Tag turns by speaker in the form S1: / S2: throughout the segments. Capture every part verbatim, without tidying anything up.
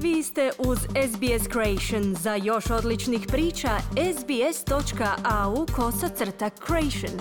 S1: Vi ste uz S B S Creation. Za još odličnih priča, sbs.au kosacrta creation.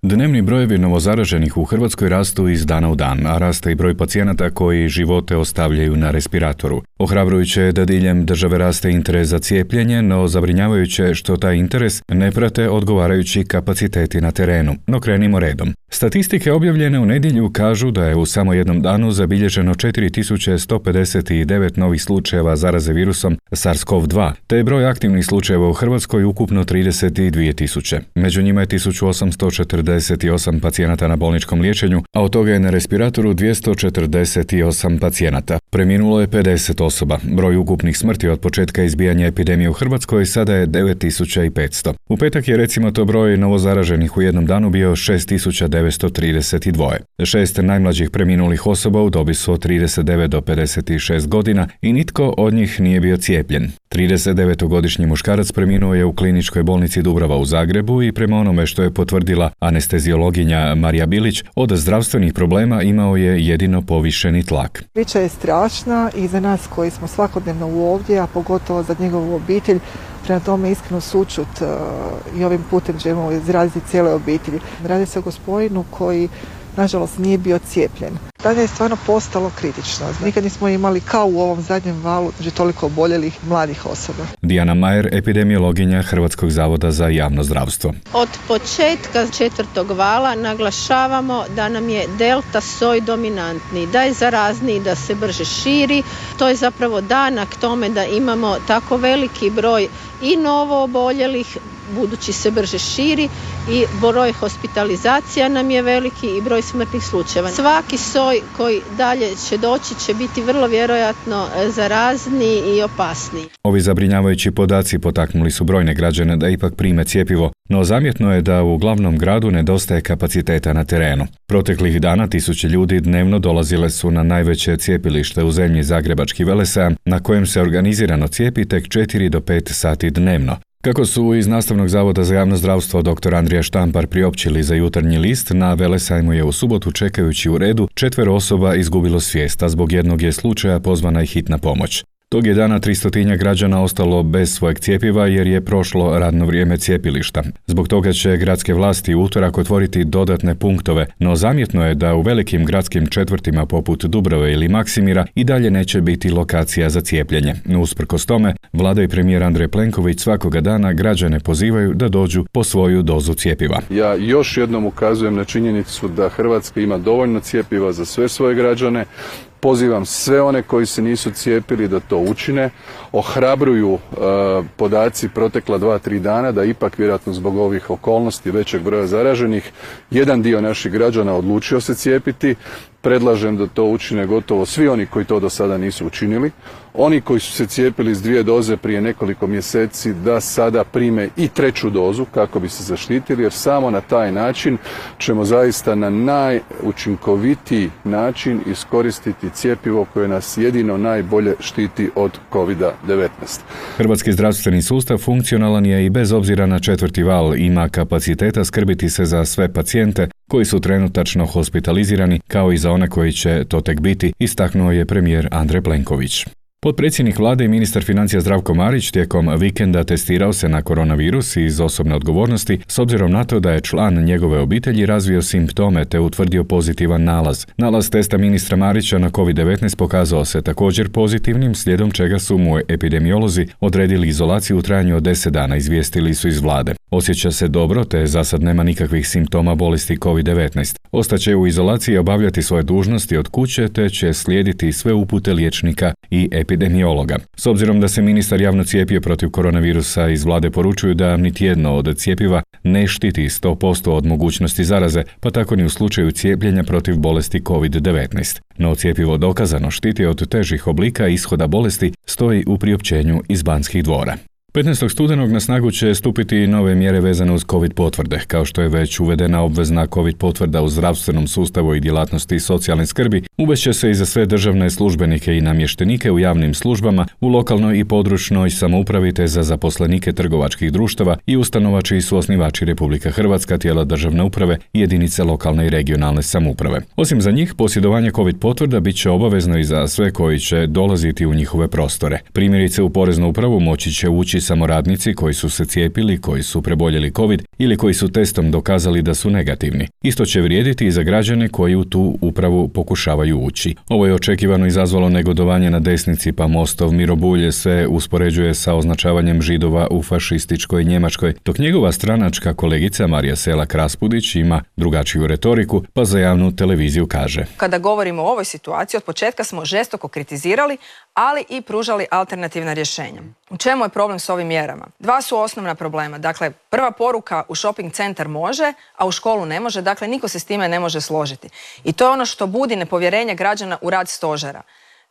S2: Dnevni brojevi novozaraženih u Hrvatskoj rastu iz dana u dan, a raste i broj pacijenata koji živote ostavljaju na respiratoru. Ohrabrujuće je da diljem države raste interes za cijepljenje, no zabrinjavajuće je što taj interes ne prate odgovarajući kapaciteti na terenu. No krenimo redom. Statistike objavljene u nedjelju kažu da je u samo jednom danu zabilježeno četiri tisuće sto pedeset devet novih slučajeva zaraze virusom SARS-CoV dva, te je broj aktivnih slučajeva u Hrvatskoj ukupno trideset dvije tisuće. Među njima je tisuću osamsto četrdeset osam pacijenata na bolničkom liječenju, a od toga je na respiratoru dvjesto četrdeset osam pacijenata. Preminulo je pedeset osoba. Broj ukupnih smrti od početka izbijanja epidemije u Hrvatskoj sada je devet tisuća petsto. U petak je recimo to broj novozaraženih u jednom danu bio šest tisuća devetsto trideset dva. Šest najmlađih preminulih osoba u dobi su od trideset devet do pedeset šest godina i nitko od njih nije bio cijepljen. tridesetdevetogodišnji muškarac preminuo je u kliničkoj bolnici Dubrava u Zagrebu i prema onome što je potvrdila anesteziologinja Marija Bilić, od zdravstvenih problema imao je jedino povišeni tlak.
S3: Priča je strašna i za nas koji smo svakodnevno ovdje, a pogotovo za njegovu obitelj. Prema tome iskreno sućut uh, i ovim putem želimo izraziti cijeloj obitelji. Radi se o gospodinu koji nažalost nije bio cijepljen. Tada je stvarno postalo kritično. Nikad nismo imali kao u ovom zadnjem valu znači toliko oboljelih mladih osoba.
S2: Dijana Majer, epidemiologinja Hrvatskog zavoda za javno zdravstvo.
S4: Od početka četvrtog vala naglašavamo da nam je delta soj dominantni, da je zarazniji, da se brže širi. To je zapravo danak tome da imamo tako veliki broj i novo oboljelih, budući se brže širi, i broj hospitalizacija nam je veliki i broj smrtnih slučajeva. Svaki soj koji dalje će doći će biti vrlo vjerojatno zarazniji i opasniji.
S2: Ovi zabrinjavajući podaci potaknuli su brojne građane da ipak prime cjepivo, no zamjetno je da u glavnom gradu nedostaje kapaciteta na terenu. Proteklih dana tisuće ljudi dnevno dolazile su na najveće cijepilište u zemlji, Zagrebački Velesajam, na kojem se organizirano cijepi tek četiri do pet sati dnevno. Kako su iz Nastavnog zavoda za javno zdravstvo dr. Andrija Štampar priopćili za Jutarnji list, na Velesajmu je u subotu čekajući u redu četvero osoba izgubilo svijest, a zbog jednog je slučaja pozvana i hitna pomoć. Tog je dana tristotinjak građana ostalo bez svojeg cjepiva jer je prošlo radno vrijeme cijepilišta. Zbog toga će gradske vlasti u utorak otvoriti dodatne punktove, no zamjetno je da u velikim gradskim četvrtima poput Dubrave ili Maksimira i dalje neće biti lokacija za cijepljenje. Usprkos tome, vlada i premijer Andrej Plenković svakoga dana građane pozivaju da dođu po svoju dozu cjepiva.
S5: Ja još jednom ukazujem na činjenicu da Hrvatska ima dovoljno cjepiva za sve svoje građane. Pozivam sve one koji se nisu cijepili da to učine. Ohrabruju e, podaci protekla dva, tri dana da ipak vjerojatno zbog ovih okolnosti većeg broja zaraženih jedan dio naših građana odlučio se cijepiti. Predlažem da to učine gotovo svi oni koji to do sada nisu učinili. Oni koji su se cijepili s dvije doze prije nekoliko mjeseci da sada prime i treću dozu kako bi se zaštitili, jer samo na taj način ćemo zaista na najučinkovitiji način iskoristiti cjepivo koje nas jedino najbolje štiti od kovid devetnaest.
S2: Hrvatski zdravstveni sustav funkcionalan je i bez obzira na četvrti val, ima kapaciteta skrbiti se za sve pacijente koji su trenutačno hospitalizirani, kao i za one koji će to tek biti, istaknuo je premijer Andrej Plenković. Potpredsjednik vlade i ministar financija Zdravko Marić tijekom vikenda testirao se na koronavirus iz osobne odgovornosti s obzirom na to da je član njegove obitelji razvio simptome te utvrdio pozitivan nalaz. Nalaz testa ministra Marića na kovid devetnaest pokazao se također pozitivnim, slijedom čega su mu epidemiolozi odredili izolaciju u trajanju od deset dana, izvijestili su iz vlade. Osjeća se dobro te za sad nema nikakvih simptoma bolesti kovid devetnaest. Ostaće u izolaciji i obavljati svoje dužnosti od kuće te će slijediti sve upute liječnika i epidemiologa. S obzirom da se ministar javno cijepio protiv koronavirusa, iz vlade poručuju da niti jedno od cjepiva ne štiti sto posto od mogućnosti zaraze, pa tako ni u slučaju cijepljenja protiv bolesti kovid devetnaest. No cjepivo dokazano štiti od težih oblika ishoda bolesti, stoji u priopćenju iz Banskih dvora. petnaestog studenog na snagu će stupiti nove mjere vezane uz COVID potvrde, kao što je već uvedena obvezna COVID potvrda u zdravstvenom sustavu i djelatnosti socijalne skrbi, uvešće se i za sve državne službenike i namještenike u javnim službama, u lokalnoj i područnoj samoupravi te za zaposlenike trgovačkih društava i ustanova čiji su osnivači Republika Hrvatska, tijela državne uprave i jedinice lokalne i regionalne samouprave. Osim za njih, posjedovanje COVID potvrda bit će obavezno i za sve koji će dolaziti u njihove prostore. Primjerice, u poreznu upravu moći će ući samo radnici koji su se cijepili, koji su preboljeli COVID ili koji su testom dokazali da su negativni. Isto će vrijediti i za građane koji u tu upravu pokušavaju ući. Ovo je očekivano izazvalo negodovanje na desnici, pa Mostov Miro Bulj se uspoređuje sa označavanjem Židova u fašističkoj Njemačkoj, dok njegova stranačka kolegica Marija Selak Raspudić ima drugačiju retoriku, pa za javnu televiziju kaže:
S6: Kada govorimo o ovoj situaciji, od početka smo žestoko kritizirali, ali i pružali alternativna rješenja. U čemu je problem s ovim mjerama? Dva su osnovna problema. Dakle, prva poruka, u shopping centar može, a u školu ne može. Dakle, niko se s time ne može složiti. I to je ono što budi nepovjerenje građana u rad stožera.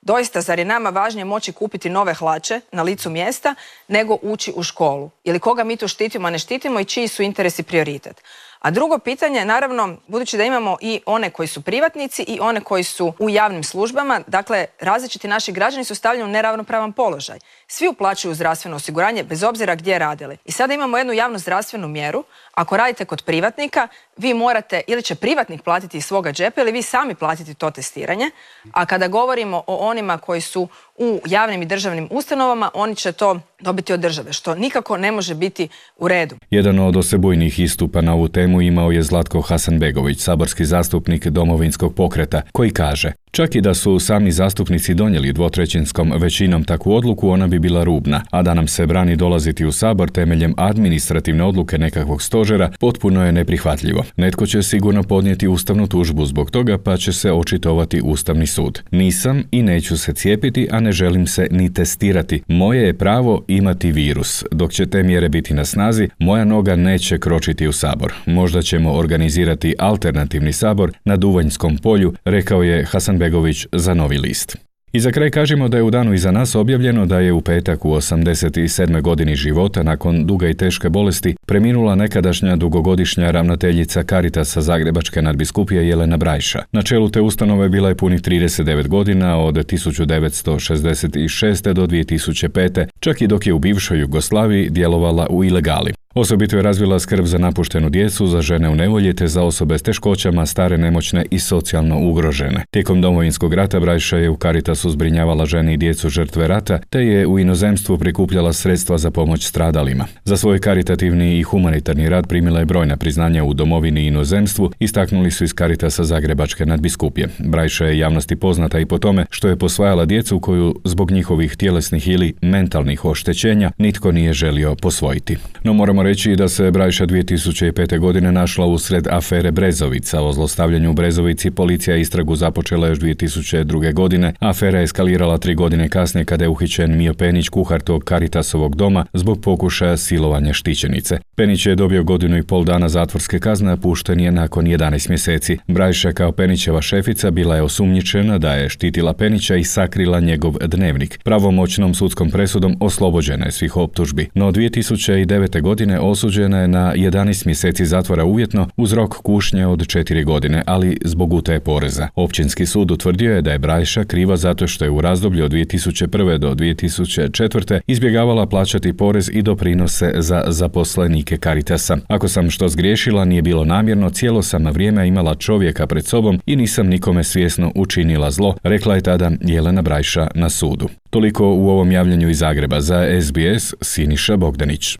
S6: Doista, zar je nama važnije moći kupiti nove hlače na licu mjesta nego ući u školu? Ili koga mi tu štitimo, a ne štitimo i čiji su interesi prioritet? A drugo pitanje, naravno, budući da imamo i one koji su privatnici i one koji su u javnim službama, dakle, različiti naši građani su stavljeni u neravnopravan položaj. Svi uplaćuju zdravstveno osiguranje, bez obzira gdje radili. I sada imamo jednu javnu zdravstvenu mjeru. Ako radite kod privatnika, vi morate, ili će privatnik platiti iz svoga džepa, ili vi sami platiti to testiranje. A kada govorimo o onima koji su u javnim i državnim ustanovama, oni će to dobiti od države, što nikako ne može biti u redu.
S2: Jedan od osebujnih istupa na ovu temu imao je Zlatko Hasanbegović, saborski zastupnik Domovinskog pokreta, koji kaže: čak i da su sami zastupnici donijeli dvotrećinskom većinom takvu odluku, ona bi bila rubna, a da nam se brani dolaziti u Sabor temeljem administrativne odluke nekakvog stožera potpuno je neprihvatljivo. Netko će sigurno podnijeti ustavnu tužbu zbog toga, pa će se očitovati Ustavni sud. Nisam i neću se cijepiti, a ne želim se ni testirati. Moje je pravo imati virus. Dok će te mjere biti na snazi, moja noga neće kročiti u Sabor. Možda ćemo organizirati alternativni Sabor na Duvanjskom polju, rekao je Hasanbegović za Novi list. I za kraj kažemo da je u danu iza nas objavljeno da je u petak u osamdeset sedmoj godini života, nakon duge i teške bolesti, preminula nekadašnja dugogodišnja ravnateljica Caritasa Zagrebačke nadbiskupije Jelena Brajša. Na čelu te ustanove bila je punih trideset devet godina, od tisuću devetsto šezdeset šeste do dvije tisuće pete, čak i dok je u bivšoj Jugoslaviji djelovala u ilegali. Osobito je razvila skrb za napuštenu djecu, za žene u nevolji te za osobe s teškoćama, stare, nemoćne i socijalno ugrožene. Tijekom Domovinskog rata Brajša je u Caritasu zbrinjavala žene i djecu žrtve rata, te je u inozemstvu prikupljala sredstva za pomoć stradalima. Za svoj karitativni i humanitarni rad primila je brojna priznanja u domovini i inozemstvu, istaknuli su iz Caritasa Zagrebačke nadbiskupije. Brajša je javnosti poznata i po tome što je posvajala djecu koju zbog njihovih tjelesnih ili mentalnih oštećenja nitko nije želio posvojiti. No moramo reći da se Brajša dvije tisuće pete. godine našla usred afere Brezovica. O zlostavljanju u Brezovici policija istragu započela još dvije tisuće druge. godine. Afera je eskalirala tri godine kasnije kada je uhićen Mio Penić, kuhar tog Caritasovog doma, zbog pokušaja silovanja štićenice. Penić je dobio godinu i pol dana zatvorske kazne, a pušten je nakon jedanaest mjeseci. Brajša kao Penićeva šefica bila je osumnjičena da je štitila Penića i sakrila njegov dnevnik. Pravomoćnom sudskom presudom oslobođena je svih optužbi. No dvije tisuće devete. godine osuđena je na jedanaest mjeseci zatvora uvjetno uz rok kušnje od četiri godine, ali zbog utaje poreza. Općinski sud utvrdio je da je Brajša kriva zato što je u razdoblju od dvije tisuće prve. do dvije tisuće četvrte. izbjegavala plaćati porez i doprinose za zaposlenike Caritasa. Ako sam što zgriješila, nije bilo namjerno, cijelo sam vrijeme imala čovjeka pred sobom i nisam nikome svjesno učinila zlo, rekla je tada Jelena Brajša na sudu. Toliko u ovom javljanju iz Zagreba. Za S B S, Siniša Bogdanić.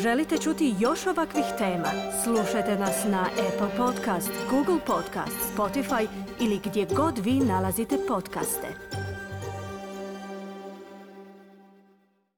S1: Želite čuti još ovakvih tema? Slušajte nas na Apple Podcast, Google Podcast, Spotify ili gdje god vi nalazite podcaste.